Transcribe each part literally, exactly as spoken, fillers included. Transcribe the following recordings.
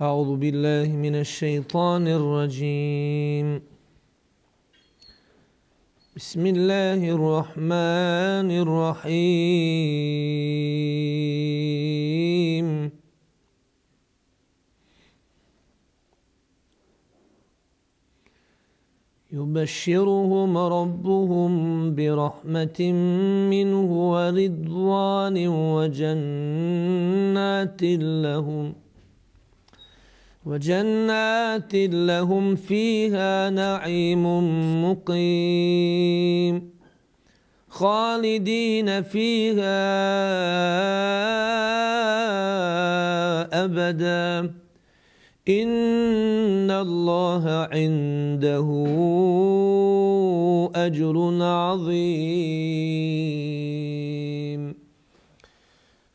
أعوذ بالله من الشيطان الرجيم بسم الله الرحمن الرحيم يبشرهم ربهم برحمة منه ورضوان وجنات لهم وجنات لهم فيها نعيم مقيم خالدين فيها أبدا إن الله عنده أجر عظيم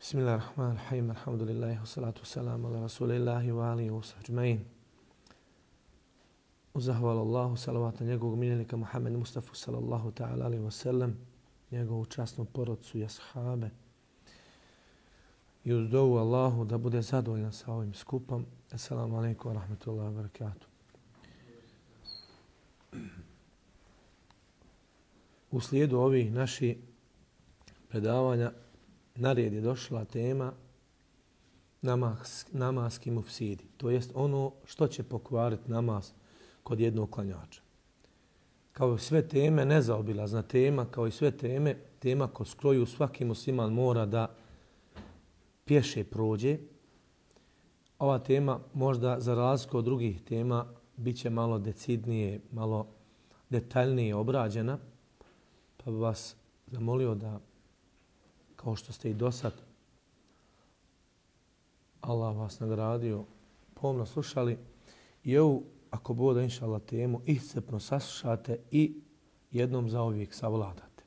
بسم الله الرحمن الرحيم الحمد لله والصلاة والسلام على رسول الله وآله وصحبه أجمعين. Uzahvala Allahu, salavat na njegovog miljenika Muhammed Mustafa sallallahu ta'ala alaihi wa sallam, njegovu časnu porodcu i ashabe. I uz dovu Allahu da bude zadovoljan sa ovim skupom. Assalamu alaikum wa rahmatullahi wa barakatuh. U slijedu ovih naših predavanja na red je došla tema namaz, namazski mufsidi. To jest ono što će pokvariti namaz kod jednog klanjača. Kao i sve teme, nezaobilazna tema, kao i sve teme, tema kroz koju svaki musliman mora da pješe prođe. Ova tema možda za razliku od drugih tema bit će malo decidnije, malo detaljnije obrađena, pa bi vas zamolio da, kao što ste i do sad, Allah vas nagradio, pomno slušali i ovu, ako bude inša Allah temu, iscrpno saslušate i jednom zauvijek savladate.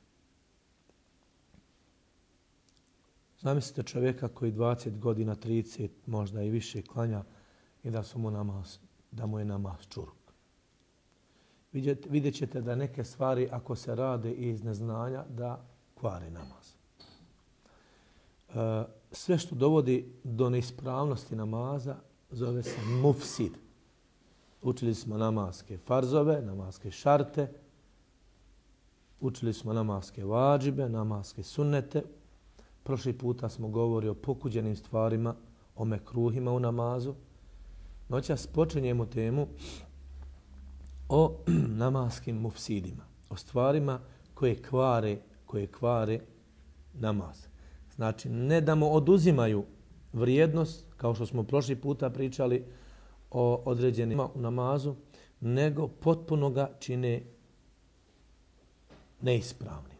Zamislite čovjeka koji dvadeset godina, trideset, možda i više klanja i da, su mu namaz, da mu je namaz čuruk. Vidjet ćete da neke stvari, ako se rade iz neznanja, da kvari namaz. E, sve što dovodi do neispravnosti namaza zove se mufsid. Učili smo namazske farzove, namazske šarte, učili smo namazske vađibe, namazske sunnete. Prošli puta smo govorili o pokuđenim stvarima, o mekruhima u namazu. Noćas počinjemo temu o namazskim mufsidima, o stvarima koje kvare, koje kvare namaz. Znači, ne da mu oduzimaju vrijednost, kao što smo prošli puta pričali o određenima u namazu, nego potpuno ga čine neispravni.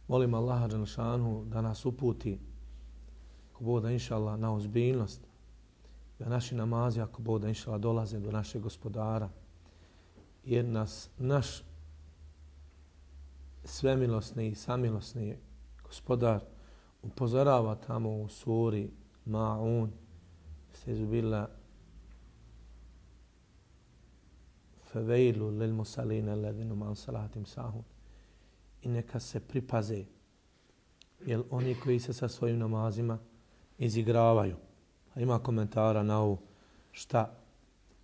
Molim Allaha dželešanu da nas uputi, ako Bog da inša Allah, na ozbiljnost, da naši namazi, ako Bog da inša Allah, dolaze do našeg gospodara, jer nas naš svemilosni i samilosni gospodar upozorava tamo u suri Ma'un, stezubila feveilu lil musalina alladhina man salatim sahun. I neka se pripaze, jer oni koji se sa svojim namazima izigravaju. A ima komentara na ovo šta,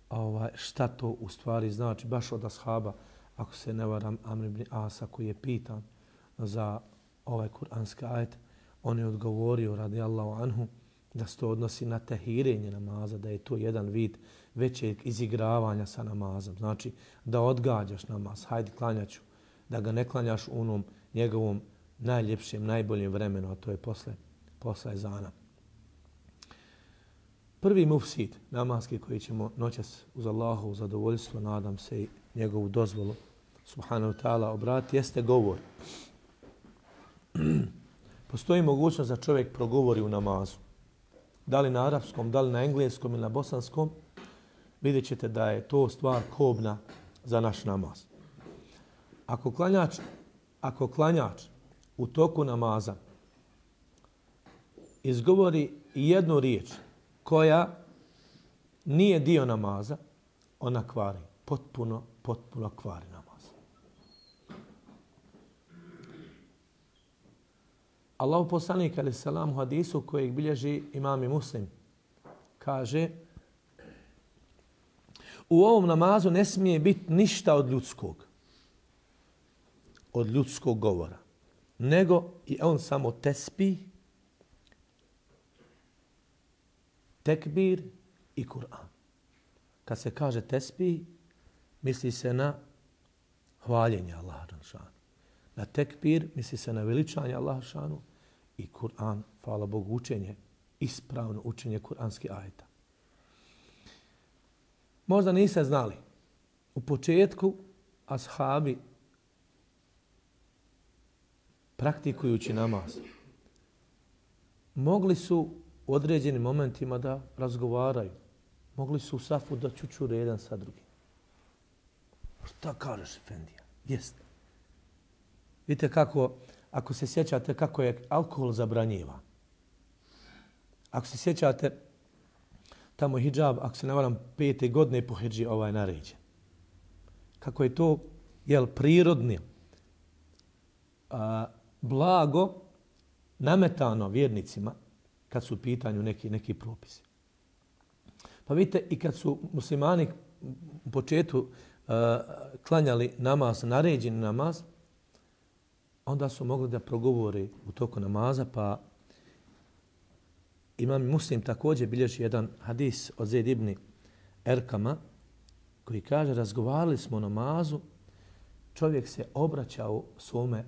ovaj, šta to u stvari znači, baš od ashaba, ako se ne varam, Amr ibn Asa koji je pitan za ovaj kuranski ajet, on je odgovorio radijallahu anhu da se to odnosi na tehirenje namaza, da je to jedan vid većeg izigravanja sa namazom. Znači da odgađaš namaz, hajde klanjaću, da ga ne klanjaš u onom njegovom najljepšem, najboljem vremenu, a to je posle, posle ezana. Prvi mufsid namazki koji ćemo noćas uz Allahovu zadovoljstvo, nadam se i njegovu dozvolu, subhanahu ta'ala, obrati, jeste govor. Postoji mogućnost da čovjek progovori u namazu. Da li na arapskom, da li na engleskom ili na bosanskom, vidjet ćete da je to stvar kobna za naš namaz. Ako klanjač, ako klanjač u toku namaza izgovori jednu riječ koja nije dio namaza, ona kvari. Potpuno, potpuno kvari namaz. Allahu poslanik alejhi selam u hadisu kojeg bilježi imam i Muslim kaže u ovom namazu ne smije biti ništa od ljudskog. Od ljudskog govora. Nego i on samo tesbih, tekbir i Kur'an. Kad se kaže tesbih, misli se na hvaljenje Allaha šanu. Na tekbir misli se na veličanje Allaha šanu i Kur'an, hvala Bogu, učenje, ispravno učenje kuranskih ajeta. Možda niste znali, u početku ashabi praktikujući namaz mogli su u određenim momentima da razgovaraju. Mogli su u safu da čučure jedan sa drugim. Šta kažeš, Efendija? Jeste. Vidite kako, ako se sjećate kako je alkohol zabranjiva. Ako se sjećate, tamo hidžab, ako se ne varam, pete godine po hidži ovaj naređen. Kako je to, jel, prirodni, a, blago nametano vjernicima kad su u pitanju neki, neki propisi. Pa vidite, i kad su muslimani u početku uh, klanjali namaz, naređeni namaz, onda su mogli da progovore u toku namaza, pa Imam Muslim također bilježi jedan hadis od Zaid ibn Erkama, koji kaže, razgovarali smo o namazu, čovjek se obraćao svome,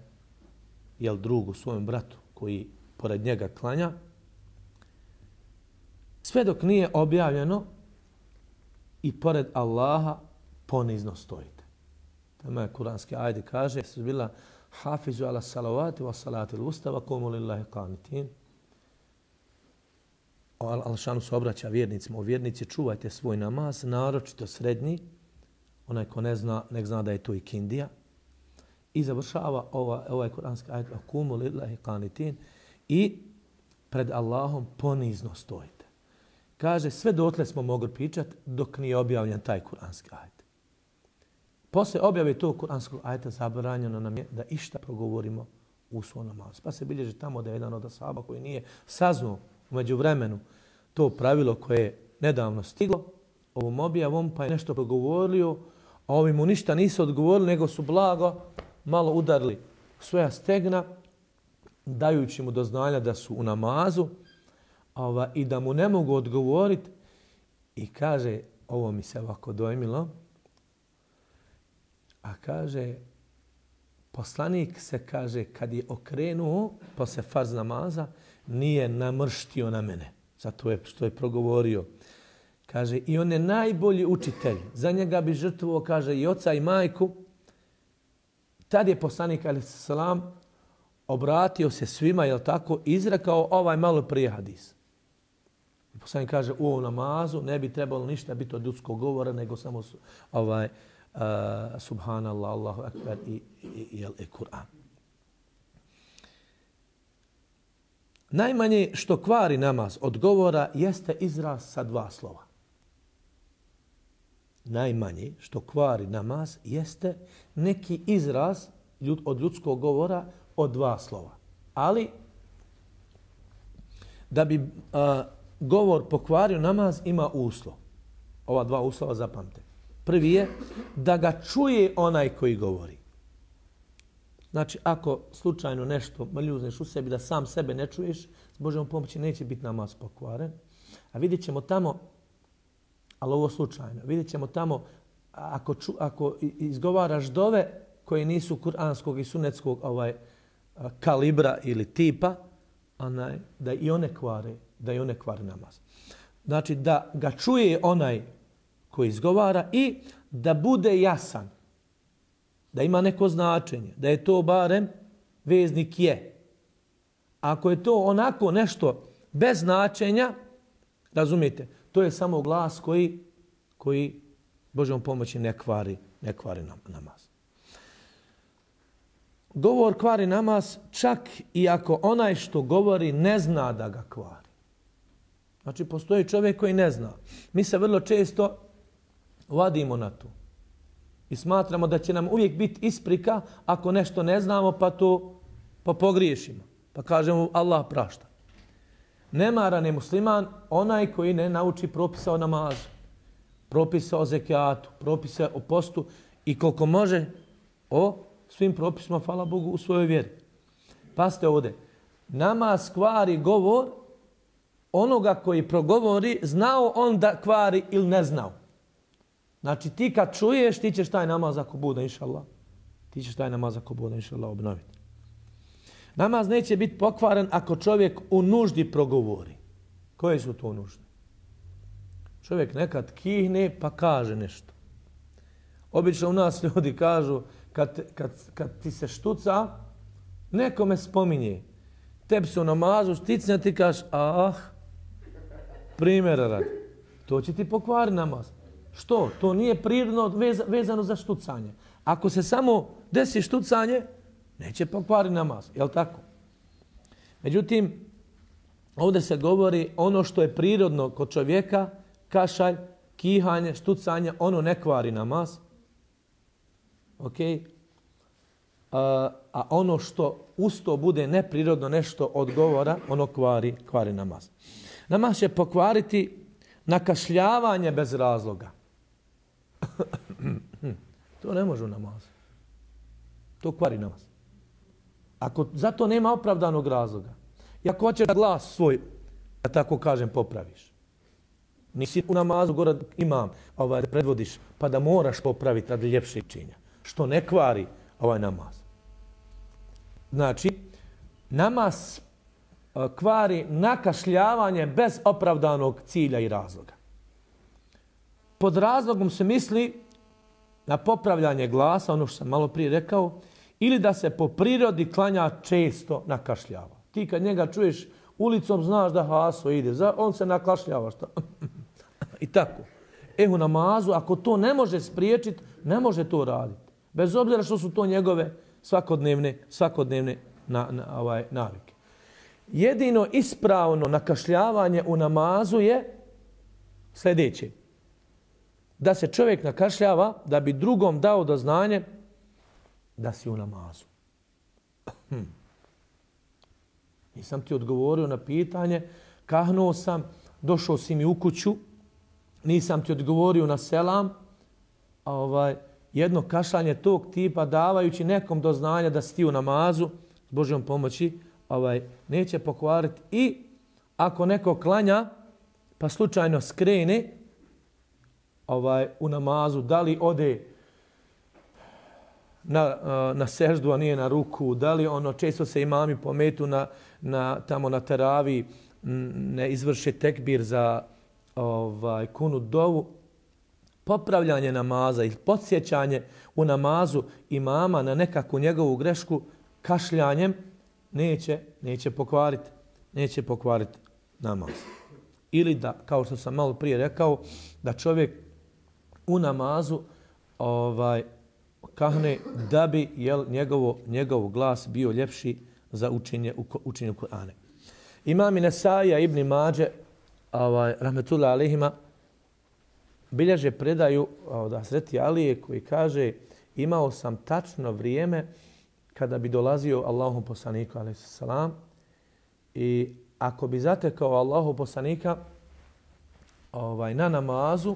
jel, drugu, svojem bratu, koji pored njega klanja, sve dok nije objavljeno i pored Allaha ponizno stojite. Tamo je kuranski ajde kaže, su bila hafizu ala salavati wa salati l-ustava komu lillahi qanitin. Al-Šanu se obraća vjernicima. O vjernici, čuvajte svoj namaz, naročito srednji. Onaj ko ne zna, nek zna da je to i kindija. I završava ova, ovaj kuranski ajet komu lillahi qanitin i pred Allahom ponizno stojite. Kaže, sve dotle smo mogli pričati dok nije objavljen taj kuranski ajet. Posle objave tog kuranskog ajeta zabranjeno nam je da išta progovorimo u svom namazu. Pa se bilježi tamo da je jedan od ashaba koji nije saznao umeđu vremenu to pravilo koje je nedavno stiglo ovom objavom, pa je nešto progovorio, a ovi mu ništa nisu odgovorili, nego su blago malo udarili svoja stegna, dajući mu do znanja da su u namazu, ova, i da mu ne mogu odgovoriti. I kaže, ovo mi se ovako dojmilo, a kaže, poslanik se, kaže, kad je okrenuo posle farz namaza, nije namrštio na mene. Zato je što je progovorio. Kaže, i on je najbolji učitelj. Za njega bi žrtvovao, kaže, i oca i majku. Tad je poslanik, alejhi selam, obratio se svima, jel tako, izrekao ovaj malo prije hadis. I poslanik kaže, u ovom namazu ne bi trebalo ništa biti od ljudskog govora, nego samo ovaj, uh, subhanallah, Allahu akbar i, i, i, i Kur'an. Najmanje što kvari namaz od govora jeste izraz sa dva slova. Najmanje što kvari namaz jeste neki izraz ljud, od ljudskog govora od dva slova. Ali da bi a, govor pokvario namaz ima uslov. Ova dva uslova zapamte. Prvi je da ga čuje onaj koji govori. Znači, ako slučajno nešto maljuzneš u sebi da sam sebe ne čuješ, s Božjom pomoći neće biti namaz pokvaren. A vidjet ćemo tamo, ali ovo slučajno, vidjet ćemo tamo ako, ču, ako izgovaraš dove koje nisu kuranskog i sunetskog ovaj, kalibra ili tipa, onaj, da i one kvare, da i one kvare namaz. Znači, da ga čuje onaj koji izgovara i da bude jasan. Da ima neko značenje, da je to barem veznik je. Ako je to onako nešto bez značenja, razumijete, to je samo glas koji, koji Božjom pomoći ne kvari, ne kvari namaz. Govor kvari namaz čak i ako onaj što govori ne zna da ga kvari. Znači, postoji čovjek koji ne zna. Mi se vrlo često vadimo na to. I smatramo da će nam uvijek biti isprika ako nešto ne znamo pa to pa pogriješimo. Pa kažemo Allah prašta. Nemaran je musliman onaj koji ne nauči propisa o namazu. propise o zekijatu, propise o postu i koliko može o svim propisima, hvala Bogu, u svojoj vjeri. Pazite ovdje. Namaz kvari govor onoga koji progovori, znao on da kvari ili ne znao. Znači ti kad čuješ, ti ćeš taj namaz ako bude, inša Allah, ti ćeš taj namaz ako bude, inša Allah, obnoviti. Namaz neće biti pokvaren ako čovjek u nuždi progovori. Koje su to nužde? Čovjek nekad kihne pa kaže nešto. Obično u nas ljudi kažu kad, kad, kad ti se štuca, nekome spominje. Tebi se u namazu šticne, ti kažeš ah, primjera radi. To će ti pokvariti namaz. Što? To nije prirodno vezano za štucanje. Ako se samo desi štucanje, neće pokvariti namaz. Jel' tako? Međutim, ovdje se govori ono što je prirodno kod čovjeka, kašalj, kihanje, štucanje, ono ne kvari namaz. Ok? A, a ono što usto bude neprirodno nešto od govora, ono kvari, kvari namaz. Namaz će pokvariti nakašljavanje bez razloga. To ne može u namazu. To kvari namaz. Ako zato nema opravdanog razloga. I ako hoćeš da glas svoj, da tako kažem, popraviš. Nisi u namazu gore imam, ovaj, da predvodiš, pa da moraš popraviti radi ljepšeg činja. Što ne kvari ovaj namaz. Znači, namaz kvari nakašljavanje bez opravdanog cilja i razloga. Pod razlogom se misli na popravljanje glasa, ono što sam malo prije rekao, ili da se po prirodi klanja često nakašljava. Ti kad njega čuješ ulicom, znaš da haso ide, on se nakašljava. Šta? I tako. E u namazu, ako to ne može spriječiti, ne može to raditi. Bez obzira što su to njegove svakodnevne, svakodnevne na, na, ovaj, navike. Jedino ispravno nakašljavanje u namazu je sljedeće. Da se čovjek nakašljava da bi drugom dao do znanje da si u namazu. Hm. Nisam ti odgovorio na pitanje, kahnuo sam, došao si mi u kuću, nisam ti odgovorio na selam, a ovaj, jedno kašljanje tog tipa davajući nekom do znanja da si ti u namazu, s Božjom pomoći, ovaj, neće pokvariti. I ako neko klanja, pa slučajno skrene ovaj, u namazu, da li ode na, na seždu, a nije na ruku, da li ono, često se imami pometu na, na, tamo na teravi, ne izvrše tekbir za ovaj, kunut dovu, popravljanje namaza ili podsjećanje u namazu imama na nekakvu njegovu grešku kašljanjem neće, neće pokvariti, neće pokvariti namaz. Ili da, kao što sam malo prije rekao, da čovjek u namazu ovaj, kahne da bi jel, njegovo, njegov glas bio ljepši za učenje, učenje Kur'ana. Imam Nesaija ibn Mađe, ovaj, rahmetullah alejhima, bilježe predaju od Hazreti Alije koji kaže imao sam tačno vrijeme kada bi dolazio Allahu poslaniku alejhi selam i ako bi zatekao Allahu poslanika ovaj, na namazu,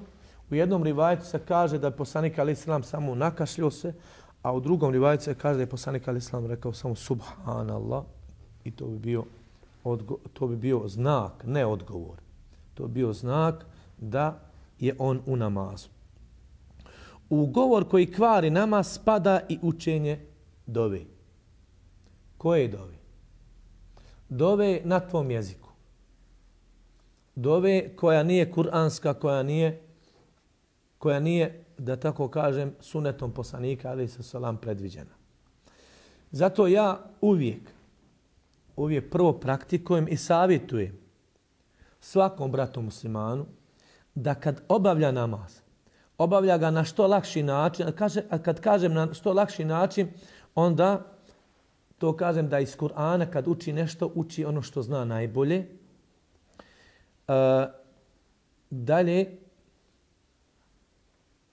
u jednom rivajetu se kaže da je poslanik alejhi selam samo nakašljio se, a u drugom rivajetu se kaže da je poslanik alejhi selam rekao samo subhanallah i to bi bio, odgo, to bi bio znak, ne odgovor. To bi bio znak da je on u namazu. U govor koji kvari namaz spada i učenje dove. Koje dove? Dove na tvom jeziku. Dove koja nije kuranska, koja nije, koja nije, da tako kažem, sunetom poslanika, alejhi selam, predviđena. Zato ja uvijek, uvijek prvo praktikujem i savjetujem svakom bratu muslimanu da kad obavlja namaz, obavlja ga na što lakši način, a, kaže, a kad kažem na što lakši način, onda to kažem da iz Kur'ana kad uči nešto, uči ono što zna najbolje. E, dalje,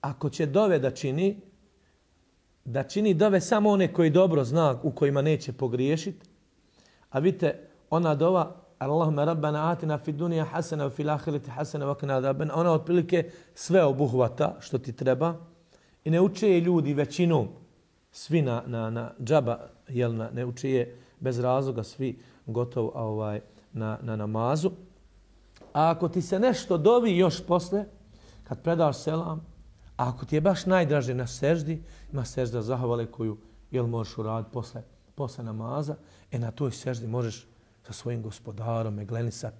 ako će dove da čini, da čini dove samo one koji dobro zna, u kojima neće pogriješiti, a vidite, ona dova Allahumma rabbana atina fid dunya hasana wa fil akhirati hasana wa qina adhaban. Ona otprilike sve obuhvata što ti treba i ne uče je ljudi većinom svi na, na, na džaba, jel, na, ne uče je bez razloga svi gotovo ovaj, na, na namazu. A ako ti se nešto dovi još posle, kad predaš selam, a ako ti je baš najdraže na seždi, ima sežda zahvale koju jel, možeš uraditi posle, posle namaza, e na toj seždi možeš sa svojim gospodarom meglenisat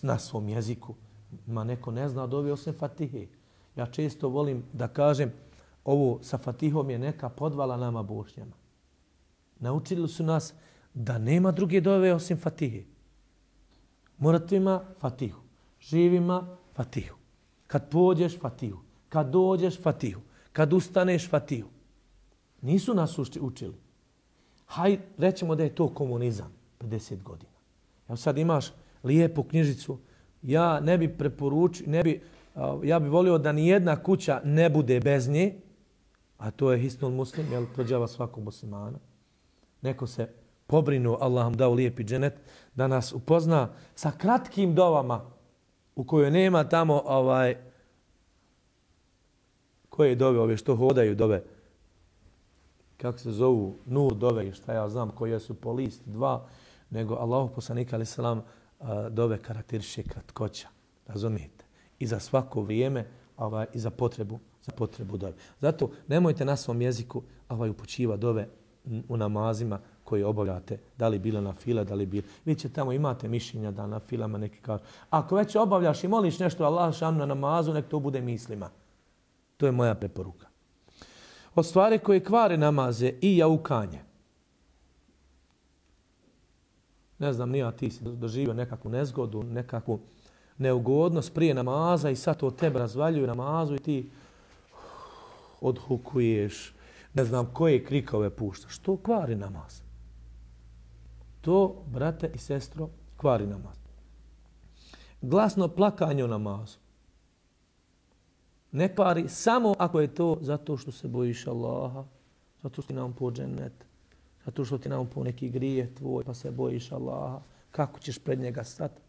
na svom jeziku. Ma neko ne zna dovi osim Fatihe. Ja često volim da kažem, ovo sa Fatihom je neka podvala nama Bošnjama. Naučili su nas da nema druge dove osim Fatihe. Mrtvima Fatihu, živima Fatihu. Kad pođeš Fatihu, kad dođeš Fatihu, kad ustaneš Fatihu. Nisu nas učili. Haj, rećemo da je to komunizam, pedeset godina. Evo sad imaš lijepu knjižicu, ja ne bi preporučio, ne bi, ja bi volio da ni jedna kuća ne bude bez nje, a to je Hisnul Muslim, jel, prođava svakog muslimana. Neko se pobrinuo, Allah vam dao lijepi dženet, da nas upozna sa kratkim dovama u kojoj nema tamo ovaj, koje dove ove što hodaju dove, kako se zovu, nur dove i šta ja znam koje su po list, dva, nego Allahu poslanik alejhi selam dove karakteriše kratkoća, razumijete? I za svako vrijeme, ovaj, i za potrebu, za potrebu dove. Zato nemojte na svom jeziku ovaj, upućiva dove u namazima koje obavljate, da li bilo na fila, da li bilo. Vi će tamo imate mišljenja da na filama neki kažu. Ako već obavljaš i moliš nešto Allah šanu na namazu, nek to bude mislima. To je moja preporuka. Od stvari koje kvare namaze i jaukanje. Ne znam, nija ti si doživio nekakvu nezgodu, nekakvu neugodnost prije namaza i sad to tebe razvaljuju namazu i ti odhukuješ, ne znam koje krikove puštaš. To kvari namaz. To, brate i sestro, kvari namaz. Glasno plakanje u namazu. Ne kvari samo ako je to zato što se bojiš Allaha, zato što ti nam po džennet, zato što ti nam po neki grije tvoj, pa se bojiš Allaha, kako ćeš pred njega stati.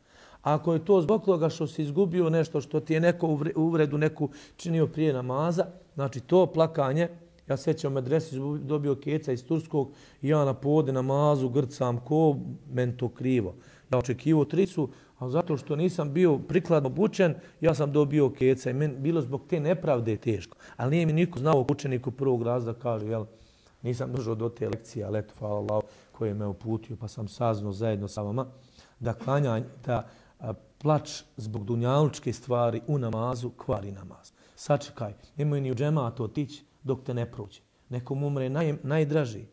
A ako je to zbog toga što si izgubio nešto, što ti je neko uvredu neku činio prije namaza, znači to plakanje, ja sjećam u medresi dobio keca iz Turskog i ja na pode namazu grcam ko men to krivo. Ja očekivao tricu, a zato što nisam bio prikladno obučen, ja sam dobio keca i meni bilo zbog te nepravde teško. Ali nije mi niko znao učeniku prvog razda kaže, jel, nisam došao do te lekcije, ali eto, hvala Allah koji je me uputio, pa sam saznao zajedno sa vama da klanjanje, da a, plač zbog dunjalučke stvari u namazu kvari namaz. Sačekaj, nemoj ni u džematu otići dok te ne prođe. Nekom umre naj, najdraži.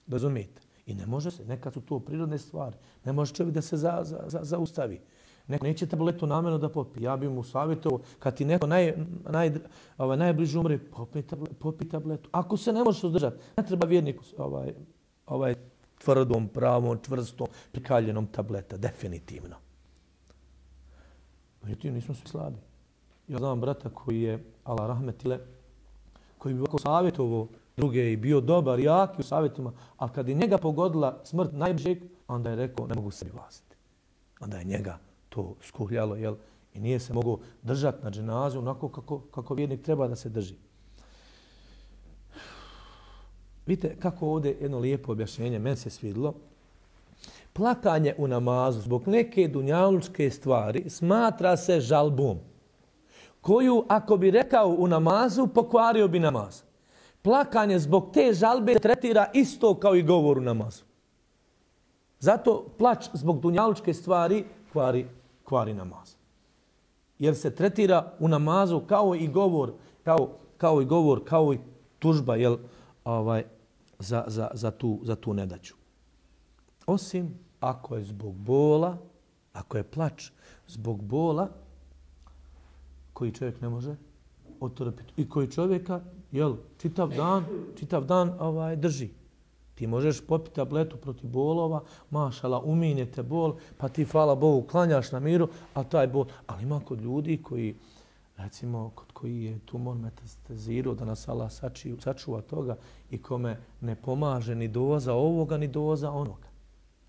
Razumijete? I ne može se, nekad su to prirodne stvari. Ne može čovjek da se za, za, za, zaustavi. Neko neće tabletu namjerno da popi. Ja bih mu savjetovao, kad ti neko naj, naj, ovaj, najbliže umre, popi, tablet, popi tabletu. Ako se ne možeš uzdržati, ne treba vjerniku ovaj, ovaj tvrdom, pravom, čvrstom, prikaljenom tableta. Definitivno. Međutim, nismo svi slabi. Ja znam brata koji je, Allah rahmetile, koji bi ovako savjetovao druge i bio dobar, jaki u savjetima, ali kad je njega pogodila smrt najbližeg, onda je rekao, ne mogu sebi vlasiti. Onda je njega to skuhljalo, jel? I nije se mogao držati na dženazu onako kako, kako vjernik treba da se drži. Vidite kako ovdje jedno lijepo objašnjenje, meni se svidilo. Plakanje u namazu zbog neke dunjalučke stvari smatra se žalbom, koju ako bi rekao u namazu, pokvario bi namaz. Plakanje zbog te žalbe tretira isto kao i govor u namazu. Zato plač zbog dunjalučke stvari kvari, kvari namaz. Jer se tretira u namazu kao i govor, kao, kao i govor, kao i tužba, jel, ovaj, za, za, za, tu, za tu nedaću. Osim ako je zbog bola, ako je plač zbog bola, koji čovjek ne može otrpiti i koji čovjeka, jel, čitav dan, čitav dan ovaj, drži. Ti možeš popiti tabletu protiv bolova, mašala, uminjete bol, pa ti, hvala Bogu, klanjaš na miru, a taj bol. Ali ima kod ljudi koji, recimo, kod koji je tumor metastaziru, da nas Allah sačuva toga i kome ne pomaže ni doza ovoga, ni doza onoga.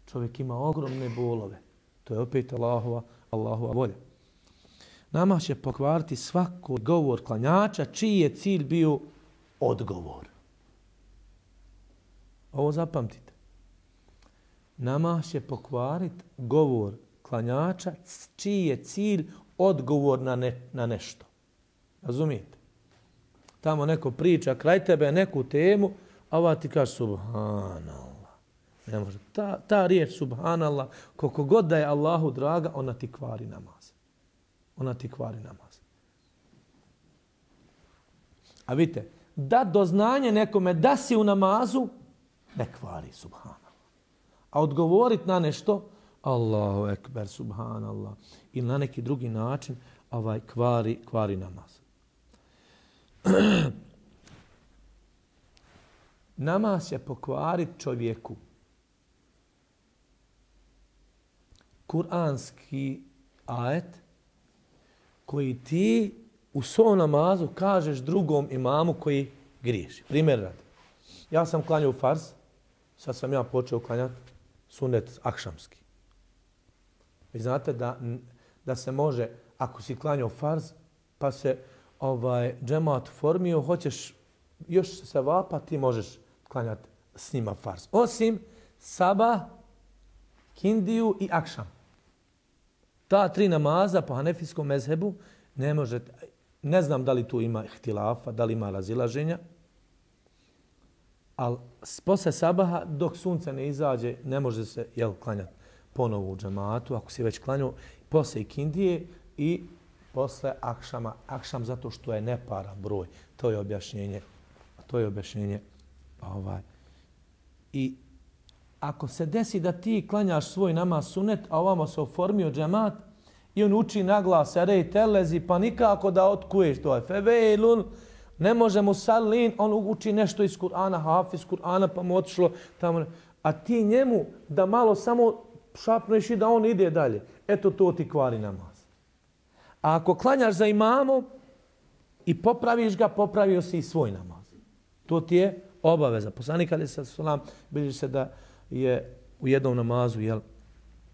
Čovjek ima ogromne bolove. To je opet Allahova, Allahova volja. Namaz će pokvariti svaki govor klanjača čiji je cilj bio odgovor. Ovo zapamtite. Namaz će pokvariti govor klanjača čiji je cilj odgovor na, ne, na nešto. Razumijete? Tamo neko priča kraj tebe neku temu, a ova ti kaže subhanallah. Ne može. Ta, ta riječ subhanallah, koliko god da je Allahu draga, ona ti kvari namaz. Ona ti kvari namaz. A vidite, da doznanje nekome da si u namazu, ne kvari subhanallah. A odgovorit na nešto, Allahu ekber, subhanallah, ili na neki drugi način, ovaj kvari, kvari namaz. Namaz će pokvariti čovjeku kuranski ajet koji ti u svom namazu kažeš drugom imamu koji griješi. Primjer radi. Ja sam klanjao farz, sad sam ja počeo klanjati sunet akšamski. Vi znate da, da se može, ako si klanjao farz, pa se ovaj džemat formio, hoćeš još se vapa, ti možeš klanjati s njima farz. Osim sabah, kindiju i akšam. Ta tri namaza po hanefijskom mezhebu ne možete, ne znam da li tu ima ihtilafa, da li ima razilaženja, ali posle sabaha dok sunce ne izađe ne može se jel, klanjati ponovo u džematu, ako si već klanjao, posle ikindije i posle akšama. Akšam zato što je neparan broj. To je objašnjenje. To je objašnjenje. Ovaj. I ako se desi da ti klanjaš svoj namaz sunet, a ovamo se oformio džemat i on uči naglas erej telezi, pa nikako da otkuješ to je fevejlun, ne možemo salin, on uči nešto iz Kur'ana, hafiz Kur'ana, pa mu otišlo tamo. A ti njemu da malo samo šapneš i da on ide dalje. Eto to ti kvari namaz. A ako klanjaš za imamom i popraviš ga, popravio si i svoj namaz. To ti je obaveza. Poslanik alejhi selam bilježi se da je u jednom namazu jel,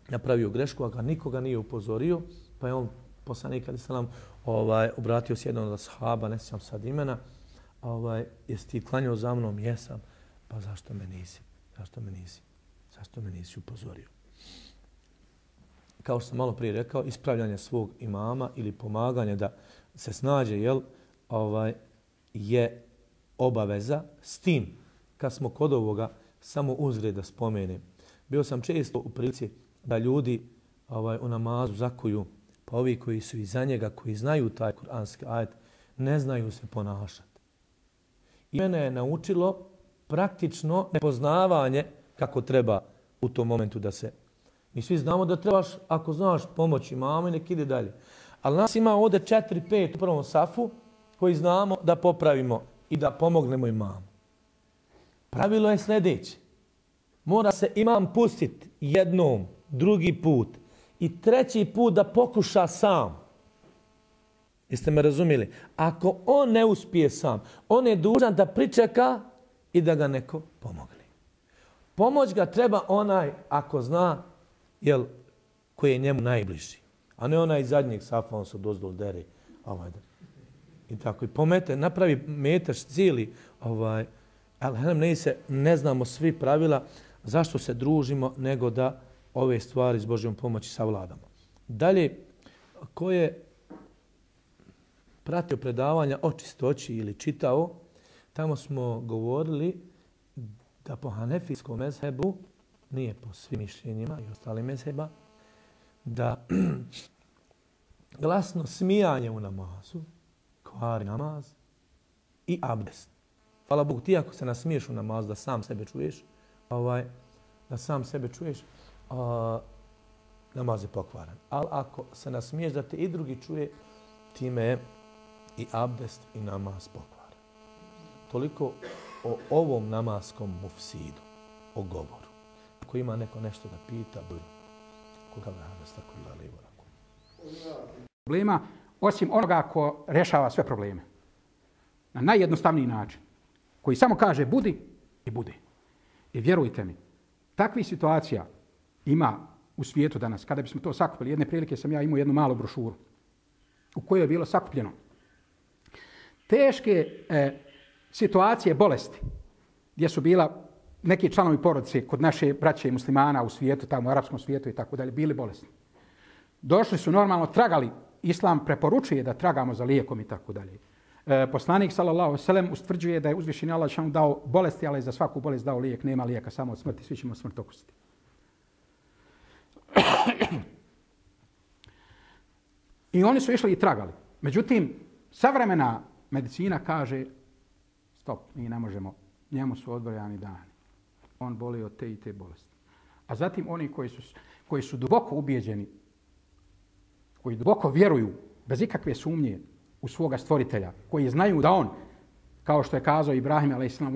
napravio grešku, a ga nikoga nije upozorio, pa je on, poslanik alejhi selam, ovaj, obratio se jednom od ashaba, ne sjećam sad imena, ovaj, jesi ti klanjao za mnom? Jesam. Pa zašto me nisi? Zašto me nisi? Zašto me nisi upozorio? Kao što sam malo prije rekao, ispravljanje svog imama ili pomaganje da se snađe, jel, ovaj, je obaveza. S tim, kad smo kod ovoga, samo uzgred da spomenem. Bio sam često u prilici da ljudi ovaj, u namazu zakuju, pa ovi koji su iza njega, koji znaju taj kuranski ajet, ne znaju se ponašati. I mene je naučilo praktično nepoznavanje kako treba u tom momentu da se... Mi svi znamo da trebaš, ako znaš, pomoći mami, nek ide dalje. Ali nas ima ovdje četiri pet u prvom safu koji znamo da popravimo i da pomognemo imamu. Pravilo je sljedeće. Mora se imam pustiti jednom, drugi put i treći put da pokuša sam. Jeste me razumjeli? Ako on ne uspije sam, on je dužan da pričeka i da ga neko pomogne. Pomoć ga treba onaj, ako zna, jel, koji je njemu najbliži. A ne onaj iz zadnjeg safa, on se dozdol dere. Ovaj, I tako. I pomete, napravi metaš cijeli. Ovaj, ali ne, se, ne znamo svi pravila zašto se družimo, nego da ove stvari s Božjom pomoći savladamo. Dalje, ko je pratio predavanja o čistoći ili čitao, tamo smo govorili da po hanefijskom mezhebu, nije po svim mišljenjima i ostalim mezheba, da glasno smijanje u namazu kvari namaz i abdest. Hvala Bogu, ti ako se nasmiješ u namazu da sam sebe čuješ, ovaj, da sam sebe čuješ, a, namaz je pokvaran. Ali ako se nasmiješ da te i drugi čuje, time je i abdest i namaz pokvaran. Toliko o ovom namaskom mufsidu, o govoru. Ako ima neko nešto da pita, budu. Koga vrana s tako da lijevo rako. Problema, osim onoga ko rešava sve probleme. Na najjednostavniji način. Koji samo kaže budi i bude. I vjerujte mi, takvih situacija ima u svijetu danas. Kada bismo to sakupili, jedne prilike sam ja imao jednu malu brošuru u kojoj je bilo sakupljeno teške e, situacije bolesti gdje su bila neki članovi porodice kod naše braće i muslimana u svijetu, tamo u arapskom svijetu i tako dalje, bili bolesni. Došli su normalno, tragali, islam preporučuje da tragamo za lijekom i tako dalje. E, poslanik sallallahu alejhi ve sellem ustvrđuje da je uzvišeni Allah dželle dao bolesti, ali za svaku bolest dao lijek, nema lijeka, samo od smrti, svi ćemo smrt okusiti. I oni su išli i tragali. Međutim, savremena medicina kaže stop, mi ne možemo, njemu su odbrojani dani. On boli od te i te bolesti. A zatim oni koji su, koji su duboko ubijeđeni, koji duboko vjeruju, bez ikakve sumnje, u svoga stvoritelja, koji znaju da on, kao što je kazao Ibrahim alejhi selam,